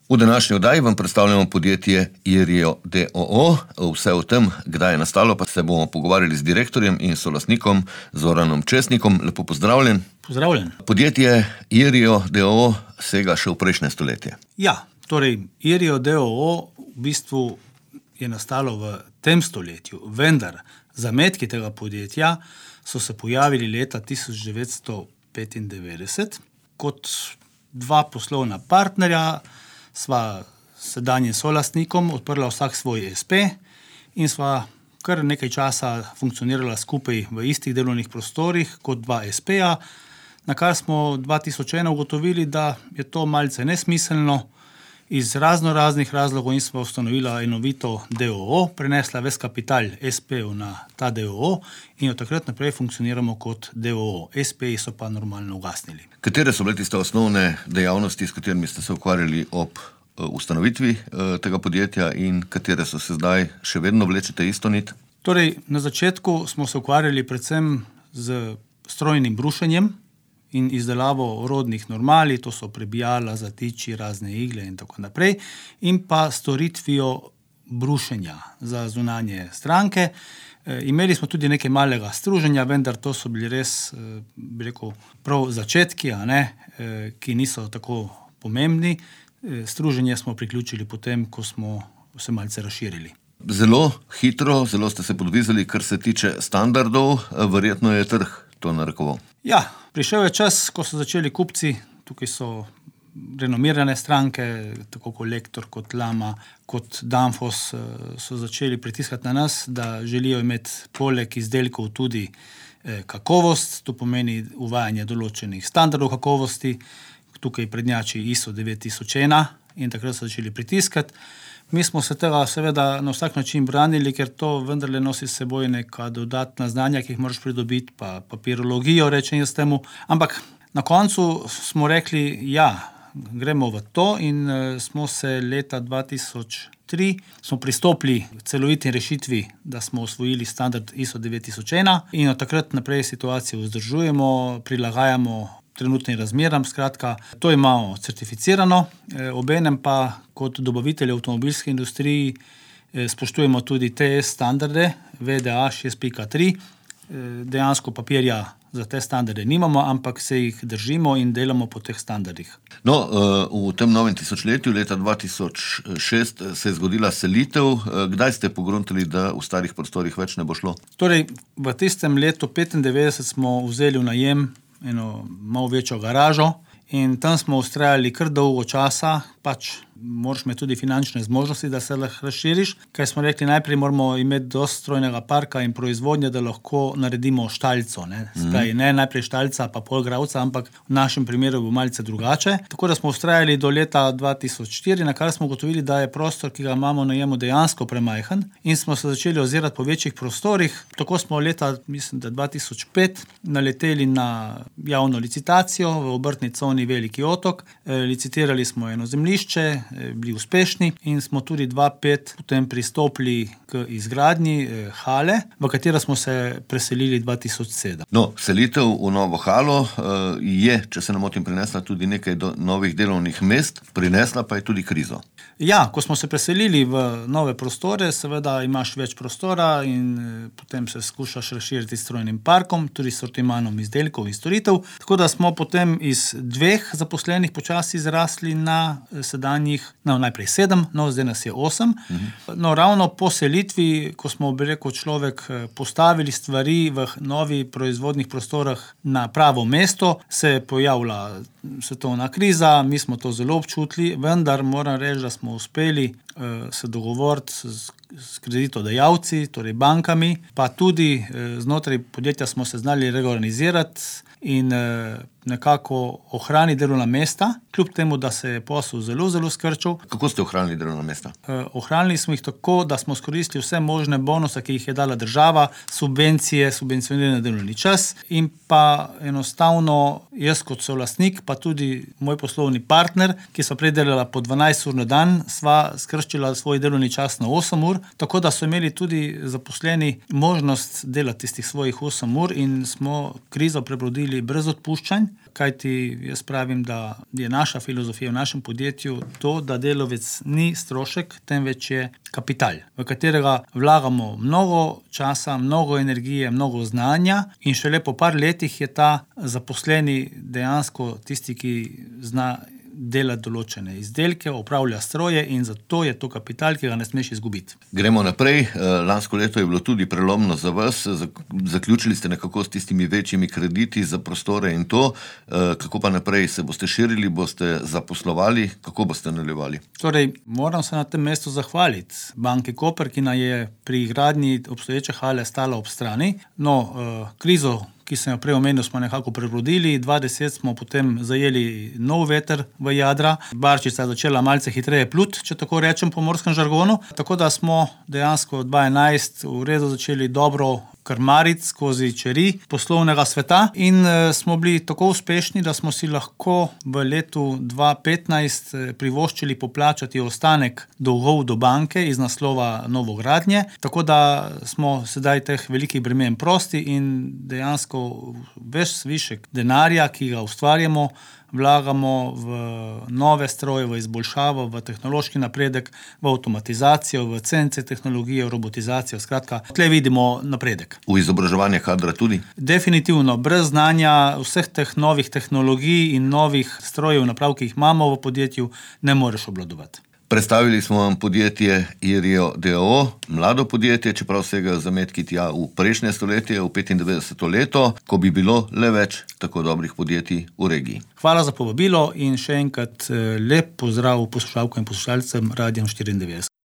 V današnji oddaji vam predstavljamo podjetje Irio d.o.o. Vse o tem, kdaj je nastalo, pa se bomo pogovarjali z direktorjem in solastnikom Zoranom Česnikom. Lepo pozdravljen. Pozdravljen. Podjetje Irio d.o.o. sega še v prejšnje stoletje. Ja, torej Irio d.o.o. v bistvu je nastalo v tem stoletju, vendar zametki tega podjetja so se pojavili leta 1995 kot dva poslovna partnerja. Sva sedanjim solastnikom odprla vsak svoj SP in sva kar nekaj časa funkcionirala skupaj v istih delovnih prostorih kot dva SP-ja, na kar smo 2001 ugotovili, da je to malce nesmiselno iz raznih razlogov in sva ustanovila enovito d.o.o., prenesla ves kapital SP-ju na ta d.o.o. in od takrat naprej funkcioniramo kot d.o.o. SP-ji so pa normalno ugasnili. Katere so bile tiste osnovne dejavnosti, s katerimi ste se ukvarjali ob ustanovitvi tega podjetja in katere so se zdaj še vedno vlečete isto nit? Torej, na začetku smo se ukvarjali predvsem z strojnim brušenjem in izdelavo orodnih normali, to so prebijala, zatiči, razne igle in tako naprej, in pa storitvijo brušenja za zunanje stranke. Imeli smo tudi nekaj malega struženja, vendar to so bili res, prav začetki, ki niso tako pomembni. Struženje smo priključili potem, ko smo se malce razširili. Zelo hitro, zelo ste se podvizali, kar se tiče standardov, verjetno je trg to narekoval. Ja, prišel je čas, ko so začeli kupci, tukaj so renomirane stranke, tako Kolektor, kot Lama, kot Danfoss, so začeli pritiskati na nas, da želijo imeti poleg izdelkov tudi kakovost, to pomeni uvajanje določenih standardov kakovosti, tukaj prednjači ISO 9001 in takrat so začeli pritiskati. Mi smo se tega seveda na vsak način branili, ker to vendarle nosi s seboj neka dodatna znanja, ki jih moraš pridobiti, pa papirologijo, rečem jaz temu. Ampak na koncu smo rekli, ja, gremo v to in smo se leta 2003 smo pristopili k celoviti rešitvi, da smo osvojili standard ISO 9001 in od takrat naprej situacijo vzdržujemo, prilagajamo trenutnim razmeram, skratka, to imamo certificirano, obenem pa kot dobavitelj avtomobilske industriji spoštujemo tudi TS standarde, VDA 6.3, dejansko papirja za te standarde nimamo, ampak se jih držimo in delamo po teh standardih. No, v tem novem tisočletju, leta 2006, se je zgodila selitev. Kdaj ste pogruntali, da v starih prostorih več ne bo šlo? Torej, v tistem letu 1995 smo vzeli v najem eno malo večjo garažo in tam smo vztrajali kar dolgo časa, pač moraš imeti tudi finančne zmožnosti, da se lahko razširiš, kaj smo rekli, najprej moramo imeti dosti strojnega parka in proizvodnje, da lahko naredimo štalco, Spravi, ne najprej štalca pa pol gravca, ampak v našem primeru bo malce drugače. Tako da smo vztrajali do leta 2004, na kar smo ugotovili, da je prostor, ki ga imamo na najemu, dejansko premajhen in smo se začeli ozirati po večjih prostorih. Tako smo leta, mislim, da 2005 naleteli na javno licitacijo v obrtni coni Veliki Otok. Licitirali smo eno zemljišče, bili uspešni in smo tudi 2005 potem pristopili k izgradnji hale, v katero smo se preselili 2007. No, selitev v novo halo je, če se ne motim, prinesla tudi nekaj novih delovnih mest, prinesla pa je tudi krizo. Ja, ko smo se preselili v nove prostore, seveda imaš več prostora in potem se skušaš razširiti s strojnim parkom, tudi sortimanom izdelkov in storitev, tako da smo potem iz 2 zaposlenih počasi zrasli na sedanjih, najprej 7, zdaj nas je 8. No, ravno po selitvi, ko smo, človek postavili stvari v novi proizvodnih prostorah na pravo mesto, se je pojavila svetovna kriza, mi smo to zelo občutili, vendar moram reči, da smo uspeli se dogovoriti s kreditodajalci, torej bankami, pa tudi znotraj podjetja smo se znali reorganizirati in nekako ohraniti delovna mesta, kljub temu, da se je posel zelo skrčil. Kako ste ohranili delovna mesta? Ohranili smo jih tako, da smo izkoristili vse možne bonuse, ki jih je dala država, subvencije, subvencionirani delovni čas in pa enostavno jaz kot solastnik, pa tudi moj poslovni partner, ki so prej delala po 12 ur na dan, sva skrčila svoj delovni čas na 8 ur, tako da so imeli tudi zaposleni možnost delati tistih svojih 8 ur in smo krizo prebrodili brez odpuščanj. kajti jaz pravim, da je naša filozofija v našem podjetju to, da delavec ni strošek, temveč je kapital, v katerega vlagamo mnogo časa, mnogo energije, mnogo znanja in šele po par letih je ta zaposleni dejansko tisti, ki zna delati določene izdelke, upravlja stroje in zato je to kapital, ki ga ne smeš izgubiti. Gremo naprej. Lansko leto je bilo tudi prelomno za vas. Zaključili ste nekako s tistimi večjimi krediti za prostore in to. Kako pa naprej? Se boste širili, boste zaposlovali? Kako boste nadaljevali? Torej, moram se na tem mestu zahvaliti Banki Koper, ki nam je pri gradnji obstoječe hale stala ob strani. Krizo, ki sem jo prej omenil, smo nekako prebrodili. 2010 smo potem zajeli nov veter v jadra. Barčica je začela malce hitreje pluti, če tako rečem po morskem žargonu. Tako da smo dejansko 2011 v redu začeli dobro krmariti skozi čeri poslovnega sveta in smo bili tako uspešni, da smo si lahko v letu 2015 privoščili poplačati ostanek dolgov do banke iz naslova novogradnje, tako da smo sedaj teh velikih bremen prosti in dejansko ves višek denarja, ki ga ustvarjamo, vlagamo v nove stroje, v izboljšavo, v tehnološki napredek, v avtomatizacijo, v CNC tehnologijo, v robotizacijo. Skratka, tle vidimo napredek. V izobraževanje kadra tudi? Definitivno. Brez znanja vseh teh novih tehnologij in novih strojev naprav, ki jih imamo v podjetju, ne moreš obvladovati. Predstavili smo vam podjetje IRIO d.o.o., mlado podjetje, čeprav segajo zametki tja v prejšnje stoletje, v 95. leto, ko bi bilo le več tako dobrih podjetij v regiji. Hvala za povabilo in še enkrat lep pozdrav poslušalkam in poslušalcem Radia 94.